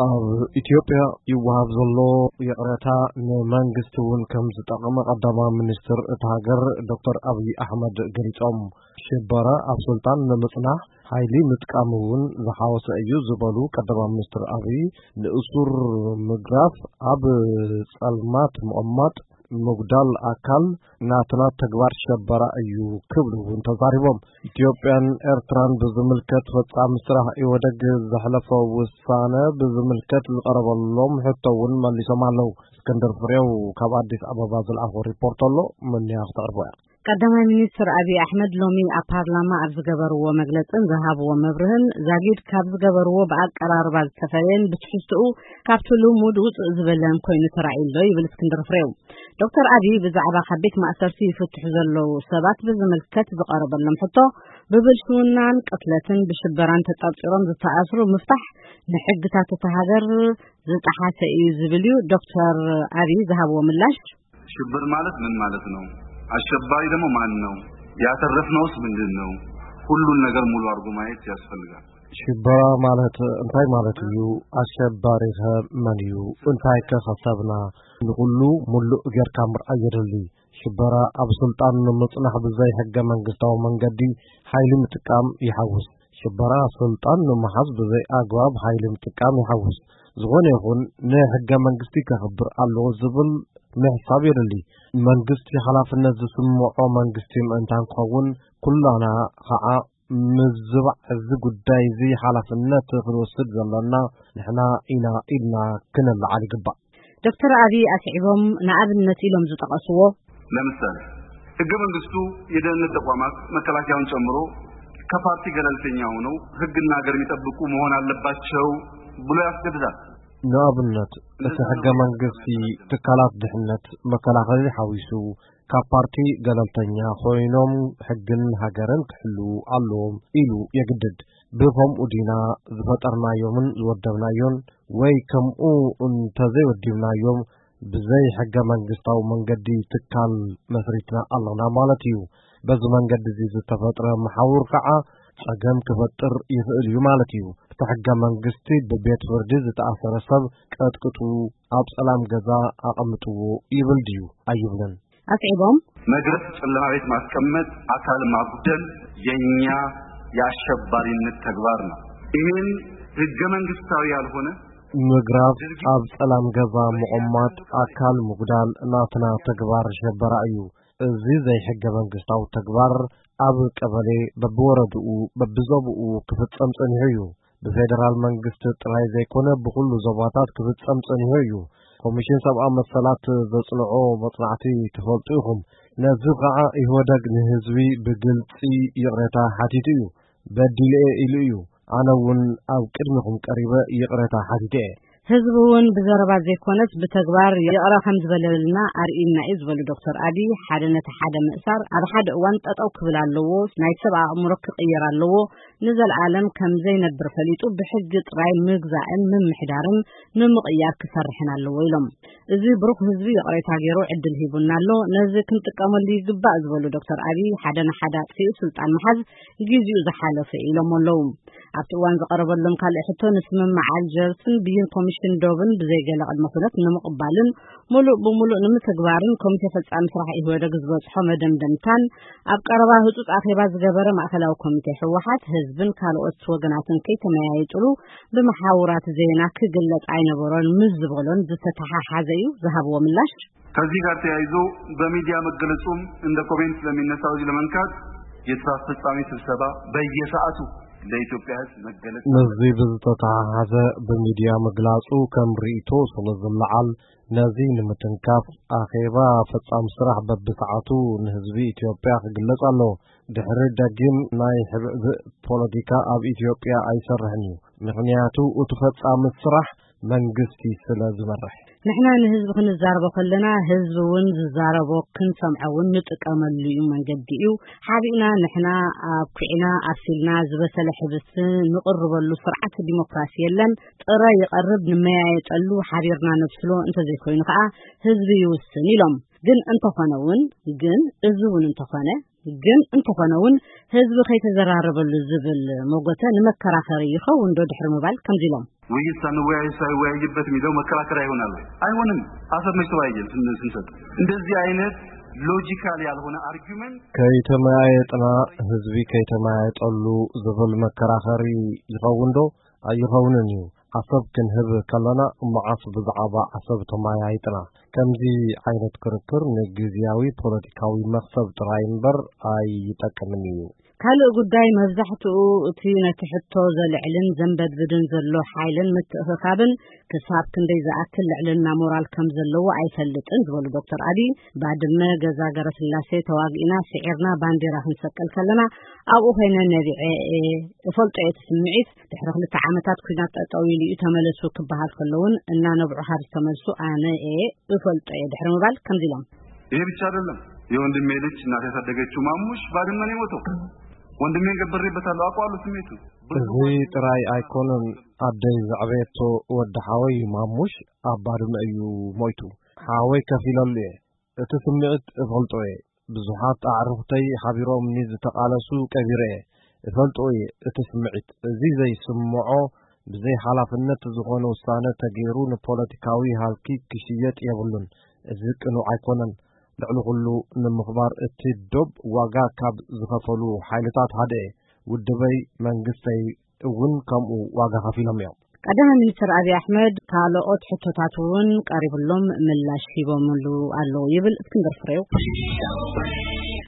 ኣብ ኢትዮጵያ ይወሃብ ዘሎ ይቕረታ ንመንግስቲ እውን ከም ዝጠቕመ ቀዳማዊ ሚኒስትር እታ ሃገር ዶክተር ኣብይ ኣሕመድ ገሊጾም። ሽበራ ኣብ ስልጣን ንምጽናሕ ሓይሊ ምጥቃም እውን ዝሓወሰ እዩ ዝበሉ ቀዳማዊ ሚኒስትር ኣብይ፣ ንእሱር ምግራፍ፣ ኣብ ጸልማት ምቕማጥ፣ ምጉዳል ኣካል ናትና ተግባር ሸበራ እዩ ክብሉ እውን ተዛሪቦም። ኢትዮጵያን ኤርትራን ብዝምልከት ፈጻሚ ስራሕ ኢህወደግ ዘሕለፎ ውሳነ ብዝምልከት ዝቐረበሎም ሕቶ እውን መሊሶም ኣለዉ። እስክንድር ፍሬው ካብ ኣዲስ ኣበባ ዝለኣኾ ሪፖርት ኣሎ፣ መኒያ ክተቕርቦ እያ። ቀዳማይ ሚኒስትር ኣብይ ኣሕመድ ሎሚ ኣብ ፓርላማ ኣብ ዝገበርዎ መግለጽን ዝሃብዎ መብርህን፣ ዛጊድ ካብ ዝገበርዎ ብኣቀራርባ ዝተፈለየን ብትሕዝትኡ ካብቲ ልሙድ ውጽእ ዝበለን ኮይኑ ተራእዩ ኣሎ ይብል እስክንድር ፍሬው። ዶክተር ኣብይ ብዛዕባ ካብ ቤት ማእሰርቲ ይፍትሑ ዘለዉ ሰባት ብዝምልከት ዝቐረበሎም ሕቶ፣ ብብልሽውናን ቅትለትን ብሽበራን ተጠርጢሮም ዝተኣስሩ ምፍታሕ ንሕግታት እታ ሃገር ዝጠሓሰ እዩ ዝብል እዩ ዶክተር ኣብይ ዝሃብዎ ምላሽ። ሽብር ማለት ምን ማለት ነው? አሸባሪ ደግሞ ማን ነው? ያተረፍነውስ ምንድን ነው? ሁሉን ነገር ሙሉ አድርጎ ማየት ያስፈልጋል። ሽበራ ማለት እንታይ ማለት እዩ? ኣሸባሪ ከ መን እዩ? እንታይ ከ ከሰብና? ንኹሉ ሙሉእ ጌርካ ምርኣይ የድሊ። ሽበራ ኣብ ስልጣን ንምጽናሕ ብዘይ ሕገ መንግስታዊ መንገዲ ሓይሊ ምጥቃም ይሓውስ። ሽበራ ስልጣን ንምሓዝ ብዘይ ኣግባብ ሓይሊ ምጥቃም ይሓውስ። ዝኾነ ይኹን ንሕገ መንግስቲ ከኽብር ኣለዎ ዝብል ምሕሳብ የድሊ። መንግስቲ ሓላፍነት ዝስምዖ መንግስቲ ምእንታን ክኸውን፣ ኩላና ኸዓ ምዝባዕ እዚ ጉዳይ እዚ ሓላፍነት ክንወስድ ዘለና ንሕና ኢና ኢልና ክነለዓል ይግባእ። ዶክተር ኣብይ ኣስዒቦም ንኣብነት ኢሎም ዝጠቐስዎ፣ ለምሳሌ ህገ መንግስቱ የደህንነት ተቋማት መከላከያውን ጨምሮ ከፓርቲ ገለልተኛ ሆነው ህግና ሀገር የሚጠብቁ መሆን አለባቸው ብሎ ያስገድዳል። ንኣብነት እቲ ሕገ መንግስቲ ትካላት ድሕነት መከላኸሊ ሓዊሱ ካብ ፓርቲ ገለልተኛ ኮይኖም ሕግን ሃገርን ክሕልዉ ኣለዎም ኢሉ የግድድ። ብኸምኡ ዲና ዝፈጠርናዮምን ዝወደብናዮን ወይ ከምኡ እንተዘይወዲብናዮም ብዘይ ሕገ መንግስታዊ መንገዲ ትካል መስሪትና ኣለና ማለት እዩ። በዚ መንገዲ እዚ ዝተፈጥረ መሓውር ከዓ ጸገም ክፈጥር ይኽእል እዩ ማለት እዩ። እቲ ሕገ መንግስቲ ብቤት ፍርዲ ዝተኣሰረ ሰብ ቀጥቅጡ፣ ኣብ ጸላም ገዛ ኣቐምጥዎ ይብል ድዩ? ኣይብልን። ኣስዒቦም፣ መግረፍ፣ ጨለማ ቤት ማስቀመጥ፣ አካል ማጉደል የኛ የአሸባሪነት ተግባር ነው። ይህን ህገ መንግስታዊ ያልሆነ ምግራፍ፣ ኣብ ጸላም ገዛ ምቕማጥ፣ ኣካል ምጉዳል ናትና ተግባር ሸበራ እዩ። እዚ ዘይሕገ መንግስታዊ ተግባር ኣብ ቀበሌ በብወረድኡ በብዞብኡ ክፍጸም ጸኒሑ እዩ። ብፌደራል መንግስቲ ጥራይ ዘይኮነ ብኹሉ ዞባታት ክፍጸም ጸኒሑ እዩ። ኮሚሽን ሰብኣዊ መሰላት ዘጽንዖ መጽናዕቲ ትፈልጡ ኢኹም። ነዚ ኸዓ ኢህወደግ ንህዝቢ ብግልጺ ይቕሬታ ሓቲቱ እዩ። በዲለ እየ ኢሉ እዩ። ኣነ እውን ኣብ ቅድሚኹም ቀሪበ ይቕሬታ ሓቲተ እየ። ህዝቢ እውን ብዘረባ ዘይኮነስ ብተግባር ይቕረ ከም ዝበለልና ኣርእዩና እዩ ዝበሉ ዶክተር ኣብይ፣ ሓደ ነቲ ሓደ ምእሳር ኣብ ሓደ እዋን ጠጠው ክብል ኣለዎ፣ ናይ ሰብ ኣእምሮ ክቕየር ኣለዎ፣ ንዘለኣለም ከም ዘይነብር ፈሊጡ ብሕጊ ጥራይ ምግዛእን ምምሕዳርን ንምቕያር ክሰርሕን ኣለዎ ኢሎም። እዚ ብሩኽ ህዝቢ ይቕሬታ ገይሩ ዕድል ሂቡና ኣሎ፣ ነዚ ክንጥቀመሉ ይግባእ ዝበሉ ዶክተር ኣብይ፣ ሓደ ንሓደ ኣጥፊኡ ስልጣን ምሓዝ ጊዜኡ ዝሓለፈ ኢሎም ኣለዉ። ኣብቲ እዋን ዝቐረበሎም ካልእ ሕቶ፣ ንስምምዕ ኣልጀርስን ብይን ኮሚሽን ዶብን ብዘይ ገለ ቅድመ ኩነት ንምቕባልን ምሉእ ብምሉእ ንምትግባርን ኮሚቴ ፈጻሚ ስራሕ ኢህወደግ ዝበጽሖ መደምደምታን ኣብ ቀረባ ህጹጽ ኣኼባ ዝገበረ ማእከላዊ ኮሚቴ ህወሓት፣ ህዝብን ካልኦት ወገናትን ከይተመያየጥሉ ብመሓውራት ዜና ክግለጽ ኣይነበሮን ምስ ዝበሎን ዝተተሓሓዘ እዩ ዝሃብዎ ምላሽ። ከዚህ ጋር ተያይዞ በሚዲያ መገለጹም እንደ ኮሜንት ስለሚነሳው እዚህ ለመንካት የስራ አስፈጻሚ ስብሰባ በየሰዓቱ ለኢትዮጵያ ህዝብ መገለጽ ምስዚ ብዝተተሓሓዘ ብሚድያ ምግላጹ ከም ርእይቶ ስለ ዝለዓል፣ ነዚ ንምትንካፍ ኣኼባ ፈጻሚ ስራሕ በብሰዓቱ ንህዝቢ ኢትዮጵያ ክግለጽ ኣለዎ። ድሕሪ ደጊም ናይ ሕብእብእ ፖለቲካ ኣብ ኢትዮጵያ ኣይሰርሕን እዩ። ምኽንያቱ እቲ ፈጻሚ ስራሕ መንግስቲ ስለ ዝመርሕ። ንሕና ንህዝቢ ክንዛረቦ ከለና ህዝቢ እውን ዝዛረቦ ክንሰምዖ እውን ንጥቀመሉ እዩ መንገዲ እዩ። ሓቢእና ንሕና ኣብኲዕና ኣብሲልና ዝበሰለ ሕብስቲ ንቕርበሉ ስርዓት ዲሞክራሲ የለን። ጥረ ይቐርብ ንመያየጠሉ ሓቢርና ነብስሎ እንተዘይኮይኑ ከዓ ህዝቢ ይውስን ኢሎም። ግን እንተኾነ እውን ግን እዚ እውን እንተኾነ ግን እንተኾነ እውን ህዝቢ ከይተዘራረበሉ ዝብል መጎተ ንመከራኸሪ ይኸውን ዶ ድሕሪ ምባል ከምዚ ኢሎም። ውይይት ሳንወያይ ሳይወያይበት የሚለው መከራከሪያ ይሆናል ወይ? አይሆንም። አሰብ መች ተወያየን ስን- ስንሰጥ እንደዚህ አይነት ሎጂካል ያልሆነ አርጊመንት ከይተመያየጥና ህዝቢ ከይተመያየጠሉ ዝብል መከራኸሪ ይኸውን ዶ? ኣይኸውንን እዩ። ዓሰብ ክንህብ ከለና መዓስ ብዛዕባ ዓሰብ ተመያይጥና? ከምዚ ዓይነት ክርክር ንግዝያዊ ፖለቲካዊ መኽሰብ ጥራይ እምበር ኣይጠቅምን እዩ። ካልእ ጉዳይ መብዛሕትኡ እቲ ነቲ ሕቶ ዘልዕልን ዘንበድብድን ዘሎ ሓይልን ምትእኽኻብን ክሳብ ክንደይ ዝኣክል ልዕልና ሞራል ከም ዘለዎ ኣይፈልጥን ዝበሉ ዶክተር ኣቢይ፣ ባድመ፣ ገዛ ገረስላሴ ተዋጊእና ስዒርና ባንዴራ ክንሰቅል ከለና ኣብኡ ኮይነ ነቢዐ እየ፣ እፈልጦ እየ እቲ ስምዒት። ድሕሪ ክልተ ዓመታት ኲናት ጠጠው ኢሉ እዩ ተመለሱ ክበሃል ከለውን እናነብዑ ካብ ዝተመልሱ ኣነ እየ እፈልጦ እየ ድሕሪ ምባል ከምዚ ኢሎም። ይሄ ብቻ አይደለም። የወንድሜ ልጅ እናት ያሳደገችው ማሙሽ ባድመ ነው የሞተው። ወንድሜን ገብሬበታለሁ፣ አውቀዋለሁ ስሜቱ። ብዙ እዚ ጥራይ ኣይኮነን። ኣደይ ዘዕበየቶ ወዲ ሓወይ ማሙሽ ኣብ ባድመ እዩ ሞይቱ። ሓወይ ከፊለሉ እየ። እቲ ስምዒት እፈልጦ እየ። ብዙሓት ኣዕሩኽተይ ሓቢሮምኒ ዝተቓለሱ ቀቢረ እየ። እፈልጦ እየ እቲ ስምዒት። እዚ ዘይስምዖ ብዘይ ሓላፍነት ዝኾነ ውሳነ ተገይሩ ንፖለቲካዊ ሃልኪ ክሽየጥ የብሉን። እዚ ቅኑዕ ኣይኮነን። ልዕሊ ኩሉ ንምኽባር እቲ ዶብ ዋጋ ካብ ዝኸፈሉ ሓይልታት ሓደ እየ። ውድበይ መንግስተይ እውን ከምኡ ዋጋ ከፊሎም እዮም። ቀዳማይ ሚኒስትር ኣብይ ኣሕመድ ካልኦት ሕቶታት እውን ቀሪብሎም ምላሽ ሂቦምሉ ኣለዉ ይብል እስክንድር ፍሬው።